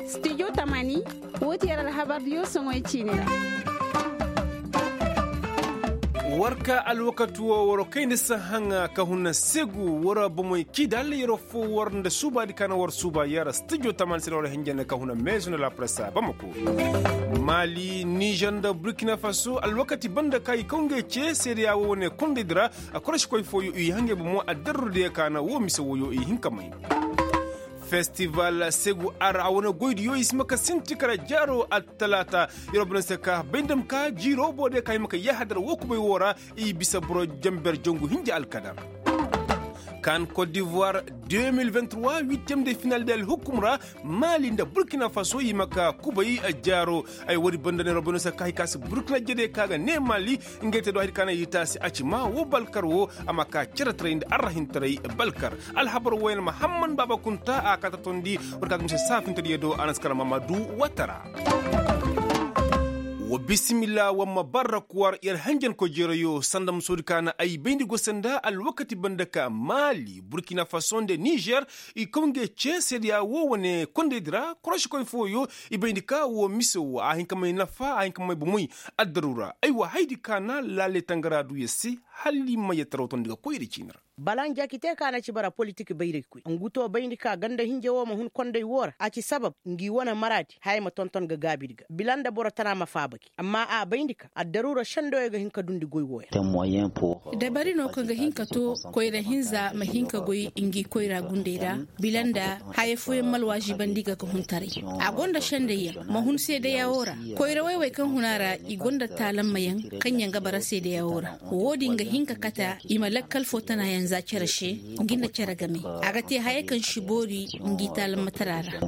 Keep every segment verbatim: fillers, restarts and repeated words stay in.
Stijo tamani, woo ti yer alhabardiyo soŋoy ciini ra. War ka alwakati woo war kayndi sahaŋa ka huna segu war bomoy kidal yer foo war nda suubaadi ka na war suuba yer stijo tamani se na war hinja nda ka huna meezo nda lapresa bamako. Mali nizer nda burkina faso alwakati banda ka i kaw ngey cee seedeya woo wane kondaydi ra. A korošikoy fooyo i hangey bomo addarrudiyo ka na woo mise wooyo i hin ka may. Festival segu ara a wane goydiyo i si ma ka sinti kara jaaro attalaata. Yer wo bana se ka bay nda ma ka jiiroo boodiyo ka i ma ka yahadar woo kubay woo ra. I bisa boro jamber jangu hinja alkadar. Kan kot divoir deux mille vingt-trois huitième de final de alhukum ra. Mali nda burkina faso i ma ka kubay jaaro. Ay woodi banda ne robino se ka hay ka si burkina jede ka ga ne mali. Ngey te do hay ka na i taasi a ci ma wo balkar wo. A ma ka cere taray nda arrahin taray balkar. Alhabar wo yaŋ mahamman baaba kunta a ka ta tondi. War ka ga mise saafinta diyo do a na si kala mamadu watara. Wa bisimilla wa ma barra kuwar yer hanjanko jeerayo sanda ma soodi ka na ay bayndi go sanda alwakati banda ka mali burkina faso nda nizer. I kaw ngey cee seedeya woo wane kondaydi ra korošikoy fooyo. I bayndi ka woo mise woo a hin ka may nafa a hin ka may bomoy. Addaru ra aywa haydi ka na laale tangara du yer se. Hala i ma yer taraw tondi ga koyri ciini ra. Balan jakite ka na ci bara politik bayraykoy ngu to bayndi ka ganda hinja woo ma hun konday woo ra a ci sabab ngi wane maraadi haya ma tonton ga gaabidi ga bila nda boro tana ma faaba gi amma a bayndi ka addaru ra sendoyo ga hin ka dundi goy wooyaŋ. Dabari no kaŋ ga hin ka to koyra hinza ma hin ka goy ngi koyra gunday ra. Bila nda haya fooyaŋ ma alwaazibandi ga ga hun taray. A go nda sendayyaŋ ma hun seedeya woo ra. Koyra wayway kaŋ hun a ra i go nda taalammayaŋ kaŋyaŋ ga bara seedeya woo ra. Woodin ga hin ka kate i ma lakkal foo tanayaŋ za cere se. Ngi nda cere game a ga te haya kaŋ si boori ngi taalammatara ra.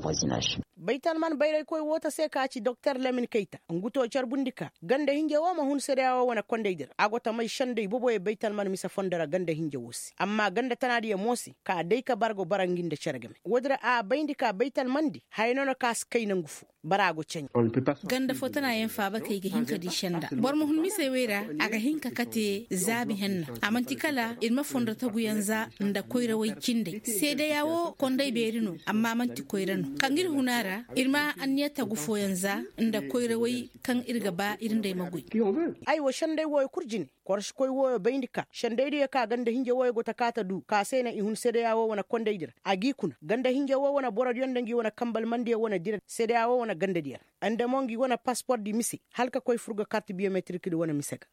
Baytalman bayraykoy woo ta se ka ci doktor lamin kayta ngu to carbundi ka ganda hinja woo ma hun seedeya woo wane kondaydi ra a go ta may senday boboyo baytalman mise fondo ra ganda hinja woo se amma ganda tanaadiyo mo se ka day ka bargo bara ngi nda cere game woodi ra a bayndi ka baytalmandi haya no na ka si kay nangu foo. Bara a go ceɲe. Ganda foo tana yaŋ faaba kay ga hin ka di senda boro ma hun misey wey ra. A ga hin ka kate zaabi henna a man'ti kala ir ma fondo taguyaŋ za nda koyrawey cindey seedeya woo konday beeri no amma man'ti koyra no kaŋ ir hun a ra. Ir ma anniya tagu fooyaŋ za nda koyrawey kaŋ ir ga ba ir nd'ey ma goy. Aywa sendey wooyo kul jine. Korosikoy wooyo bayndi ka sendaydiyo ka ganda hinja wooyo go ta kaa ta du ka se na i hun sedeya woo wane kondaydi ra a g'i kuna ganda hinja woo wane borodiyo nda ngi wane kambalmandiyo wane dira sedeya woo wane gandadiyo ra nda mo ngi wane paspordi mise hala ka koy fur ga karti biyometirikdi wane mise ga.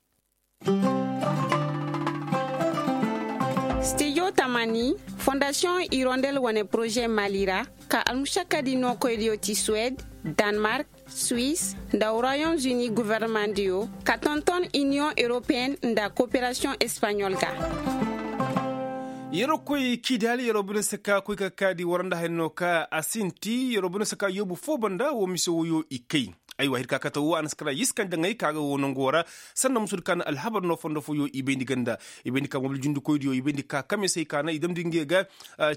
Stijo tamani fondasiyoŋ irondel wane poroze mali ra ka almušakkadi nookoydiyo ti suwed, danmark, suis, nda royaume-uni gofornomandiyo ka tonton iniyoŋ europeyen nda koperasiyoŋ espaɲol ga. Yeroo koy kiidaali yeroo bine se ka koy ka kaadi war nda haya no ka a sinti yeroo bine se ka yoobu foo banda woo mise woyoo i kay. Aywa hir ka kate woo a na si kara yiskandi daŋay ka ga woo nangoo ra. Sanda musuudi ka na alhabar no fondo foyoo i bayndi ganda i bayndi ka mobil jundikoydiyo i bayndi ka kamisey ka na i damndi ngey ga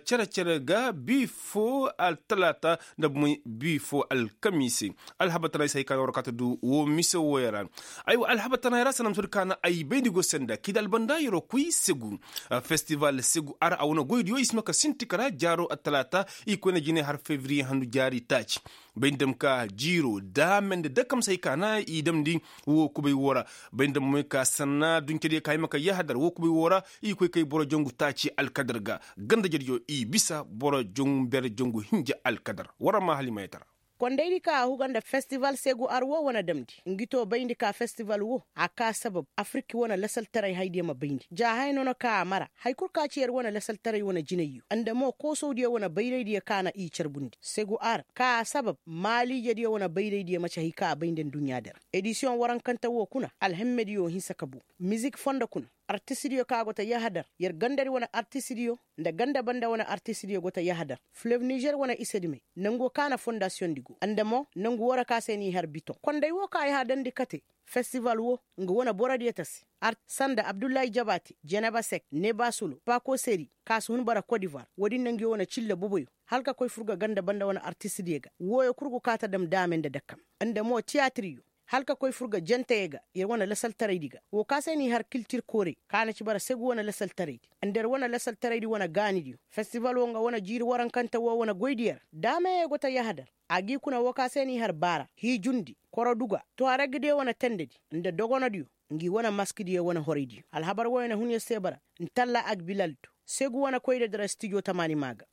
cere-cere ga bii foo altalaata nda bumey bii foo alkamiise. Alhabar tanaay se hay ka na war kaate du woo mise wooyo ra. Aywa alhabar tanaay ra sanda musuudi ka na ay bayndi go senda kiidaali banda yeroo koy segu. Festival segu ara a wane goydiyo i si ma ka sinti kara jaaroo altalaata i koyne jinay har fevriye handu jaari taaci. Bay nda ma ka jiiroo daame nda dakamsey ka na i damndi woo kubay woo ra. Bay nda ma moy ka sanna duncediyo ka hima ka yahadar woo kubay woo ra. I koy kay boro jangu taaci alkadar ga gandajediyo i bisa boro jangu mber jangu hinja alkadar. War ma hala i ma yatara. Kondaydi ka a huga nda festival segu ar woo wane damndi ngi to bayndi ka festival woo a kaa sabab afirki wane lasaltaray haydiyo ma bayndi ja haya no na ka a mara. Hay kul ka ci yer wane lasaltaray wane jinayyo nda mo koosowdiyo wane bayraydiyo ka na i carbundi segu ar ka a sabab maalijediyo wane bayraydiyo maci hay ka a bayndi nduɲɲaadi ra. Edisiyoŋ warankante woo kuna alhemmediyo hinsa ka buu. Mizik fondo kuna artistidiyo ka go ta yahadar yer gandadi wane artistidiyo nda ganda banda wane artistidiyo go ta yahadar. Filev nizer wane isedimey nango ka na fondasiyoŋdi go nda mo nangu woo ra ka se n'i har bitoŋ konday woo ka yahadandi kate. Festival woo nga wane borodiyo tasi. Sanda abdullahi jabaate jeneba sek neba solo pako seri ka si hun bara kodivar woodin na ngi wane cille boboyo hala ka koy fur ga ganda banda wane artistidiyo ga wooyo kul go ka ta dam daame nda dakam nda mo tiyaatiriyo. hala ka koy fur ga jantayey ga yer wane lasaltaraydi ga. Woo ka se n'i har kiltir koorey ka na ci bara segu wane lasaltaraydi nda yer wane lasaltaraydi wane gaanidiyo. Festival woo nga wane jiiri warankante woo wane goydiyo ra daameyey go ta yahadar. A g'i kuna woo ka se n'i har baara hiijundi koroduga tuwaragdiyo wane tendedi nda dogonodiyo. Ngi wane maskidiyo wane horaydiyo alhabar wooyo na hun yer se bara. Ntalla agbilal do segu wane koyda dira stijo tamaani maa ga.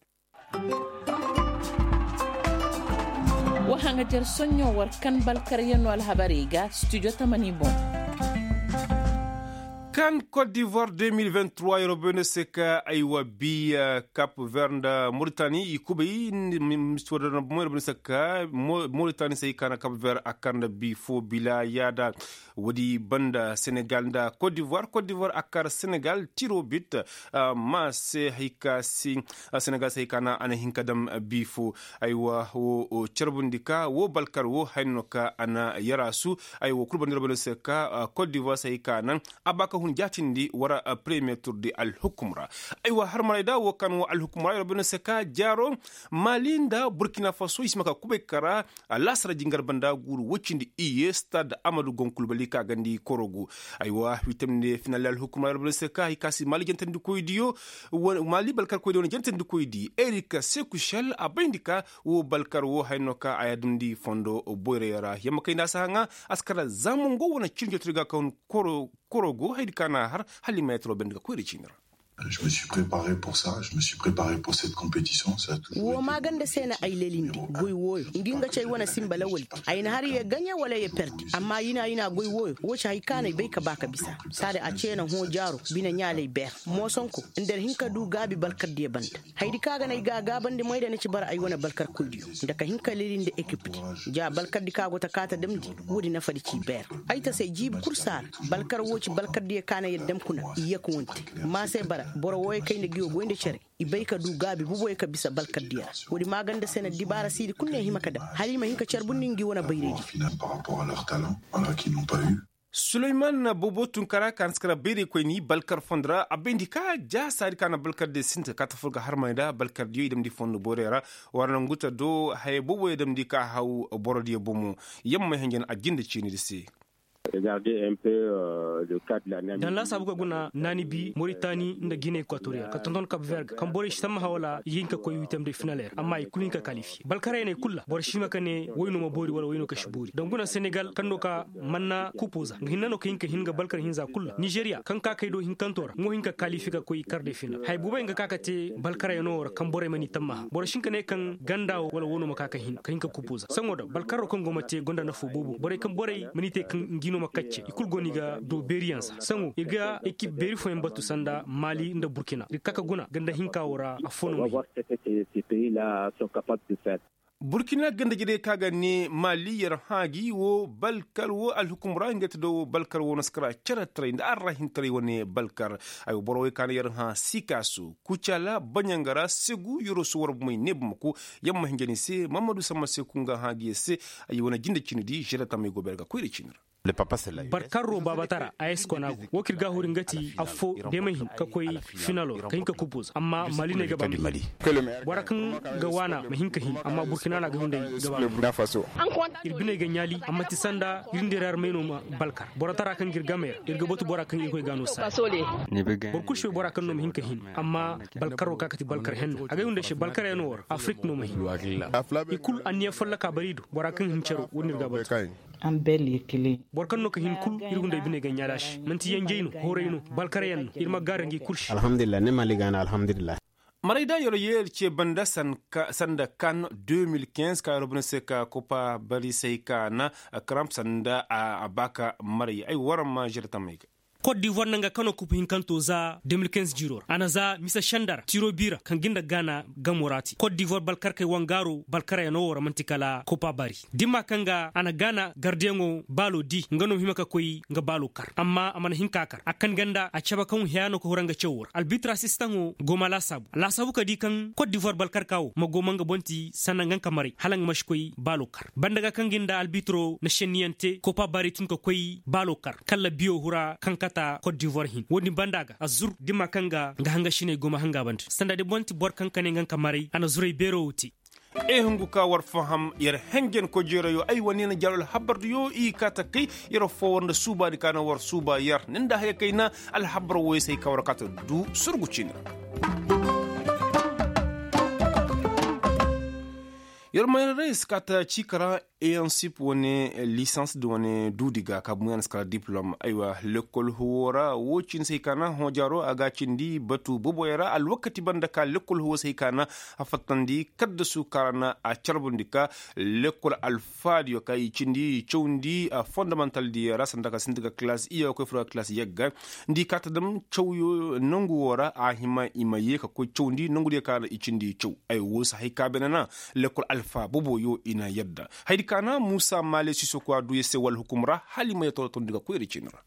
Wa haŋajer soɲõ war kan balkaryaŋ no alhabarey ga studio tamani boŋ. Kan kot divoir deux mille vingt trois yeroo bay no se ka ay wa bi kap ver nda moritani i kubay. Misti woo da na bomo yeroo bay no se ka moritani se hay ka na kap ver a kar nda bi foo bila yaada. Woodi banda senegal nda kot divoir kot divoir a kar senegal tiro bit. Ma se hay ka si senegal se hay ka na a na hin ka dam bi foo. Aywa woo carbundi ka woo balkar woo haya no ka a na yaraasu. Aywa kul banda yeroo bay no se ka kot divoir se hay ka naŋ a ba ka hun jaatindi war premier tur di alhukum ra. Aywa harmarayda woo kan woo alhukum ra yeroo bay no se ka jaaro mali nda burkina faso i si ma ka kubay kara. Alaasara jingar banda guuru woy cindi iyye stad amadu gonkulbali ka gandi korogu. Aywa witamnde final alhukum ra yeroo bay no se ka hay ka si mali jantandikoydiyo. Mali balkarkoydiyo wane jantandikoydi erik sekushel a bayndi ka woo balkar woo haya no ka a yaadumndi fondo boyray ra yamma kay nda a si haŋa. A si kara zamango wane cindi jootodi ga ka hun korogu haydi ka na a har hala i ma yataro bayndi ga koyra ciini ra. Woo maaganda se na ay lelindi goy wooyo ngi nga ci ay wane sinba lawaldi. Ay na har ye gaɲe wala ye perdi amma yina yina goy wooyo woo ci hay ka no ay bay ka ba ka bisa. Saada a cee na hõ jaaro bine ɲaalay beer moosonko nda yer hin ka duu gaabi balkardiyo banda. Hayadi ka ga no ay ga a gaabandi moy da ni ci bara ay wane balkarkoydiyo nda ka hin ka lelindi ekipdi. Ja balkardi ka go ta kaa ta damndi woodi nafadi ci beer. Ay ta se jiibi kul saara balkar woo ci balkardiyo ka na yer dam kuna i yek wonte. Ma se bara boro wooyo kay nda ngi wo goy nda cere i bay ka duu gaabi boboyo ka bisa balkardiyo ra. Woodi maaganda se na dibaara siidi kul ne hima ka dam hala i ma hin ka carbundi ngi wane bayraydi. Suleyman boobo tunkara ka na si kara bayraykoyni balkar fondo ra a bayndi ka ja saadi ka na balkardiyo sinti ka kaa ta fur ga harmay nda balkardiyo i damndi fondo borey ra. War na ngu ta do haya booboyo damndi ka haw borodiyo bomo. Yamma hinjan a jinde ciinidi se. Daŋ laasaabu ka guna naani bi moritani nda gine ekwatoriyal ka tonton kab ver ga kaŋ borey si tammaha wala i ga hin ka koy wiitam day finaler amma i kulu hin ka kalifiye balkarey ne kul ra boro si hima ka ne woy no ma boori wala woy no ka si boori daŋ guna senegal kaŋ no ka manna kupo za nga hinne no ka hin ka hin nga balkar hinza kul ra nizeriya kaŋ ka kay do hinkanto ra nga wo hin ka kalifiye ka koy kar day final haya boobey nga ka ka te balkarey no wo ra kaŋ borey mana i tammaha boro si hin ka ne kaŋ ganda wo wala wo no ma ka ka hin ka hin ka kupo za saŋo da balkaro kaŋ go ma te gonda nafo boobo borey kaŋ borey mana i te kaŋ ngi no ma kacce i kul go no i ga doo beeriyaŋ za saŋo ir ga ekip beeri fooyaŋ batu sanda mali nda burkina ir ga ka ka guna ganda hinka wo ra affoo no ma hin. Burkina ganda jirey kaŋ a ga ne mali yer hã gi wo balkar wo alhukum ra ngey te do wo balkar wo na si kara ceretaray nda arrahintaray wane balkar. Ay wa boro wey ka na yer hã sikaso kucala baɲanga ra segu yer wo si war bumey ne bamako. Yamma hinja ni se mahamadu samma se kunga hã gi yer se. Ay wane jinde cindi di žere tamey go beer ga koyra cindi ra. Barkarro babatara a yeskonaagu wo kaŋ ir ga a huri nga ti affoo deema hin ka koy finalo ra ka hin ka kupuza amma mali ne ga ba ma hin. Bora kaŋ ga waana ma hin ka hin amma burkina no a ga hunday ga ba ma hin. Ir biney ga ɲaali amma ti sanda ir nda ir armey no ma balkar boro tara kaŋ ga ir gamey ra ir ga batu bora kaŋ irkoy ga a no saaya. Boro kul si bay bora kaŋ no ma hin ka hin amma balkaro ka ka ti balkar henna a ga ay hunday se balkarey no war afrik no ma hin. I kul anniya folloka bari do bora kaŋ hin caro wo- din ir ga a batu. Boro kaŋ no ka hin kul ir hunday biney ga ɲaali a se man'ti yanjey no hooray no balkaryaŋ no ir ma gaara ngi kul se. Alhamdulillah ne mali ga na alhamdulillah. Maray da yoro yeeri ce banda sanda kan deux mille quinze ka yoro banda se ka kopa bari se ay ka na karamp sanda a ba ka maray ay waran ma žere tamey ga. Kot divoir na nga kano kupu hinkanto za deux mille quinze jiiro ra a na za mise senda ra tiro bi ra kaŋ ga nda gaana gamo ra te kot divoir balkarkey wangaaro balkaryaŋo wo ra man'ti kala kopa bari dimma kaŋ ga a na gaana gardiyaŋo baalo di nga no ma hima ka koy nga baalo kar amma a mana hin ka kar a kan ganda a cabe kaŋ haya no ka hura nga cawo ra albitra sistaŋo go ma laasaabu a laasaabu ka di kaŋ kot divoir balkarka wo ma go ma nga boŋ ti sanda nga nga ka maray hala nga ma si koy baalo kar banda ga kaŋ ga nda albitro na senniyaŋ te kopa bari tun ka koy baalo kar kala biyo hura kaŋ kata kot divoir hin wo- din banda ga a zur dimma kaŋ ga nga hangasiney go ma hanga banda sanda di boŋ ti boro kaŋ ka ne nga nga ka maray a na zuray beero wo te. E hungu ka war faham yer henjen kojeerayo ay wane na jaro alhabardiyo i kaata kay yer fowar nda suubaadi ka na war suuba yer ni nda haya kayna. Alhabar woyo se ay ka war kaata du surgu ciini ra. Yer mayra ra i si kaata ciika ra. Eyansip wane lisans da wane duudi ga ka buŋ ya na si kala diplom aywa lekkol huwo ra wo cindi se ay ka na hõ jaaro a ga a cindi batu boboyo ra alwakati banda ka lekkol huwo se ay ka na a fattandi kaddasu kaŋ ra na a carbundi ka lekkol alfaadiyo ka i cindi cawndi fondamantal diyo ra sanda ka sinti ga kilaas iyye ga koy furo ga kilaas yagga. Nda i kaata dam cawyo nangu wo ra a hima i ma ye ka koy cawndi nangu diyo ka ra i cindi caw. Ay wo si hay ka beene na lekkol alfa boboyo i na yadda. Haydi ka na muusa maale sisoku a du ya se wala hukum ra hala i ma ya torotondi ga koy ra ciini ra.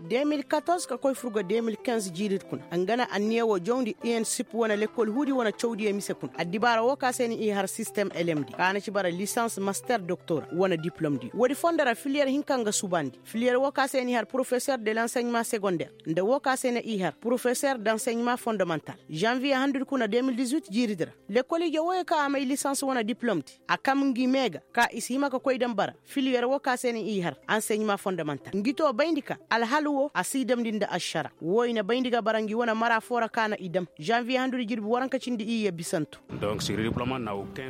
De mil katorze ka koy fur ga de mil kinze jiiridi kuna nga na anniya wo jawndi i n sip wane lekkol huudi wane cawdiyo mise kuna addibaara wo ka se ni i har sistem lmd ka na ci bara lisans master doktora wane diplomdi woodi fondo ra filiyer hinka nga subandi filiyer wo ka se ni har porofeser de lanseɲeman segonder nda wo ka se ni i har porofeser de anseɲeman fondomantal. Zanviye handudi kuna de mil dix-huit jiiridi ra lekkol ije woyo ka a may lisans wane diplomdi a kam ngi mee ga ka i si hima ka koy daŋ bara filiyer wo ka se na i har anseɲeman fondamantal ngi to bayndi ka alhal wo a si i damndi nda ašara wo i na bayndi ga bara ngi wane mara foo ra ka na i dam. Zanviye handudi jirbi waranka cindi iyye bisantu.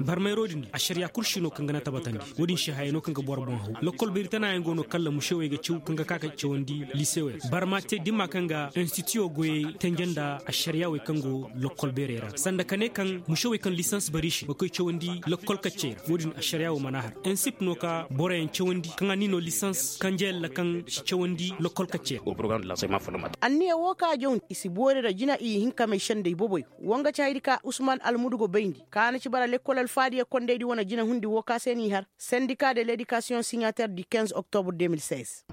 Barmayro din ašariya kul si no kaŋ ga na tabatandi. Wo-din se haya no kaŋ ga boro boŋ haw lokkol beeri tanaayaŋ go no kalla musewey ga caw kaŋ ga ka ka cawandi lisewey ra barma te dimma kaŋ ga instituyo goyey tenje nda ašariyawey kaŋ go lokkol beerey ra sanda ka ne kaŋ musewey kaŋ lisans bari se ga koy cawandi lokkol kaccey ra wo-din ašariya wo mana har ensip no ka boroyaŋ cawandi kaŋ a ni no lisans kanje yalla kaŋ si cawandi lokkol kaccey ra. Anniya wo ka jawndi i si boori ra jina i hin ka may sendey boboyo wo nga ci haydi ka usman almudu go bayndi ka na ci bara lekkol alfaadiya kondaydi wane jina hundi wo ka se n'i har sendika de ledikasiyoŋ siɲater di kinze oktobur de mil seize.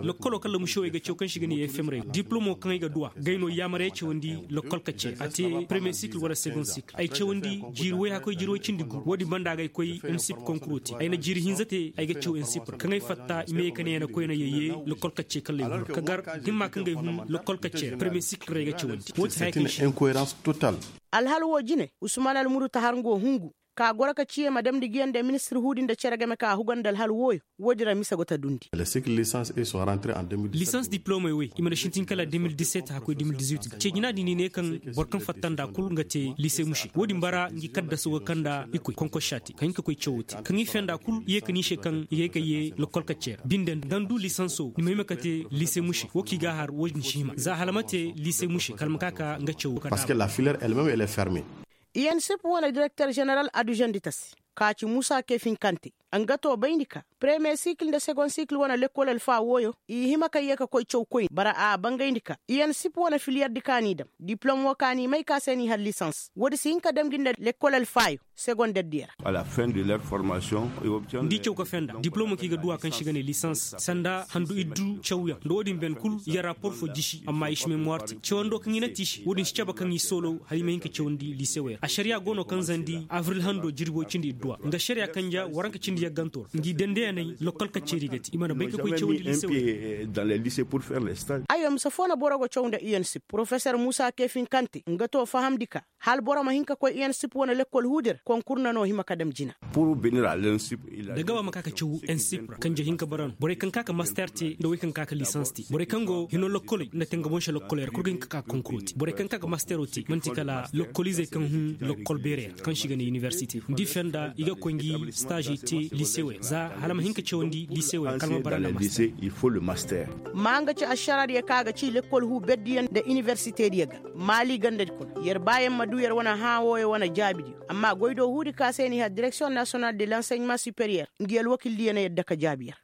Lokkoloo kaŋ lamušewey ga caw kaŋ se i ga ne fm ra diplom wo kaŋ ay ga duw'a gay no yaamar ay cawandi lokkol kacce a te premiye sikil wala segond sikil ay cawandi jiiri woy hakkoy jiiri woy cindi gu wo-din banda ga ay koy ensip konkuroo te ay na jiiri hinza te ay ga caw ensip ra kaŋ ay fatta i ma ye ka ne ya na koy na yayye lokkol kacce kalley hun ka gar himma kaŋ ga ay hun lokkol kacce ra premiye sikil ra ay ga cawandi wo-din haya kaŋ se. Alhal wo jine usman almudu ta har nga wo hungu ka goro ka ciye ma damndi nguyaŋ nda ministir huudi nda cere game ka a huga nda alhal wooyo. Woodin ra mise go ta dundi. Lisans diplomey wey i mana sintin kala de mil diset hakkoy de mil dizuit ga ce jina din i ne kaŋ boro kaŋ fatta nd'a kul nga te lise muse woodin bara ngi kaddaso ga kaŋ nda i koy konkossa te ka hin ka koy cawo te kaŋ i fenda kul i ye ka ni se kaŋ i ga ay ka ye lokkol kacce ra binde nda ni du lisanso ni ma hima ka te lise muse wo kaŋ i ga a har woodin si hima za hala ma te lise muse kala ma ka ka nga cawo ka da. Iyen sip wane direkter jeneral aduzandi ta se ka ci muusa kefin kante nga to bayndi ka premiye sikil nda segond sikil wane lekkol alfa wooyo i hima ka ye ka koy caw koyne bara a bangayndi ka iyen sip wane filiyerdi ka n'i dam diplom woo ka n'i may ka se n'i har lisans woodi si hin ka dam gi nda lekkol alfaayo segonderdiyo ra. Nda i caw ka fenda diplomo kaŋ i ga duw'a kaŋ se i ga ne lisans sanda handu iddu cawyaŋ nda woodin ben kul i ga rapor fo jisi amma i si memuwar te cawando kaŋ i na te i se woodin si cabe kaŋ i soolow hala i ma hin ka cawandi lisewey ra ašariya go no kaŋ zandi abril hando jirbi woy cindi idduwa nga ašariya kanja waranka cindi yagganto ra ngi dandeyaney lokkol kacceeri ga te i mana bay ka koy cawandi lisewey ra. Aywa mise foo na boro go caw nda iyen sip porofesor muusa kefin kante nga to fahamndi ka hala boro ma hin ka koy iyen sip wane lekkol huudi ra konkur na no hima ka dam jina. Da gaba ma ka ka caw ensip ra kanje hinka bara no borey kaŋ ka ka master te nda wey kaŋ ka ka lisans te borey kaŋ go hino lokkoley nda tenga boŋ se lokkoley ra kul ga hin ka ka konkuro te borey kaŋ ka ka mastero te man'ti kala lokkolizey kaŋ hun lokkol beerey ra kaŋ se i ga ne inibersite nda i fenda i ga koy ngi staazey te lisewey ra za hala ma hin ka cawandi lisewey ra kala ma bara nda master. Ma nga ci ašaraadiyo kaŋ a ga ci lekkol huu berdiyo nda inibersitediyo ga maali gandadi kuna yer baayaŋ ma du yer wane hãa wooyo wane jaabidiyo amma goydoo huudi ka se n'i har direksiyoŋ nasiyonal de lanseɲeman superiyer ngi alwakildiyo na yadda ka jaabi yer.